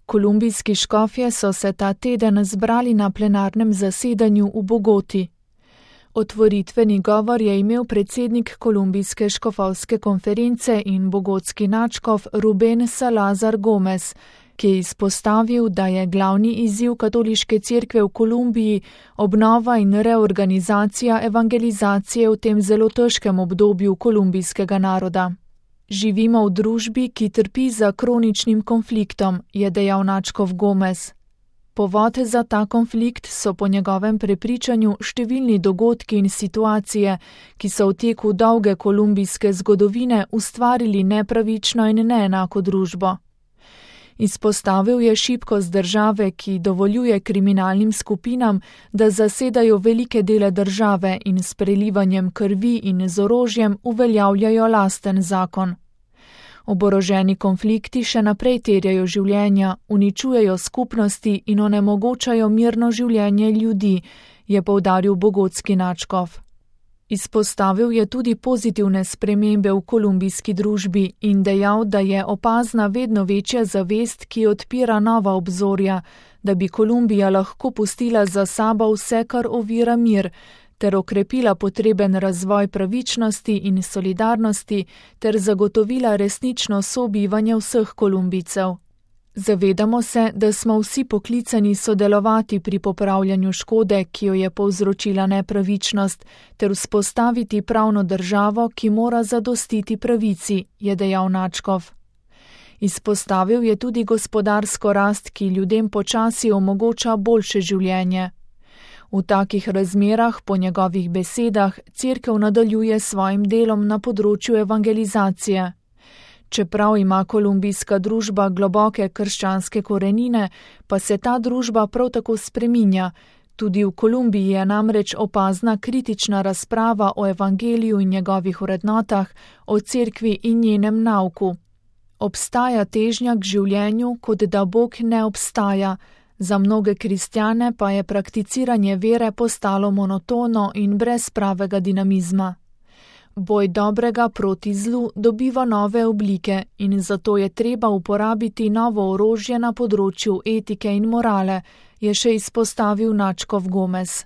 Kolumbijski škofje so se ta teden zbrali na plenarnem zasedanju v Bogoti. Otvoritveni govor je imel predsednik Kolumbijske škofovske konference in bogotski nadškof Rubén Salazar Gómez, ki je izpostavil, da je glavni izziv katoliške cerkve v Kolumbiji obnova in reorganizacija evangelizacije v tem zelo težkem obdobju kolumbijskega naroda. Živimo v družbi, ki trpi za kroničnim konfliktom, je dejal nadškof Gómez. Povod za ta konflikt so po njegovem prepričanju številni dogodki in situacije, ki so v teku dolge kolumbijske zgodovine ustvarili nepravično in neenako družbo. Izpostavil je šibkost države, ki dovoljuje kriminalnim skupinam, da zasedajo velike dele države in s prelivanjem krvi in z orožjem uveljavljajo lasten zakon. Oboroženi konflikti še naprej terjajo življenja, uničujejo skupnosti in onemogočajo mirno življenje ljudi, je poudaril bogotski nadškof. Izpostavil je tudi pozitivne spremembe v kolumbijski družbi in dejal, da je opazna vedno večja zavest, ki odpira nova obzorja, da bi Kolumbija lahko pustila za sabo vse, kar ovira mir, ter okrepila potreben razvoj pravičnosti in solidarnosti ter zagotovila resnično sobivanje vseh Kolumbijcev. Zavedamo se, da smo vsi poklicani sodelovati pri popravljanju škode, ki jo je povzročila nepravičnost, ter vzpostaviti pravno državo, ki mora zadostiti pravici, je dejal nadškof. Izpostavil je tudi gospodarsko rast, ki ljudem počasi omogoča boljše življenje. V takih razmerah, po njegovih besedah, cerkev nadaljuje s svojim delom na področju evangelizacije. Čeprav ima kolumbijska družba globoke krščanske korenine, pa se ta družba prav tako spreminja. Tudi v Kolumbiji je namreč opazna kritična razprava o evangeliju in njegovih vrednotah, o cerkvi in njenem nauku. Obstaja težnja k življenju, kot da Bog ne obstaja. Za mnoge kristjane pa je prakticiranje vere postalo monotono in brez pravega dinamizma. Boj dobrega proti zlu dobiva nove oblike in zato je treba uporabiti novo orožje na področju etike in morale, je še izpostavil nadškof Gómez.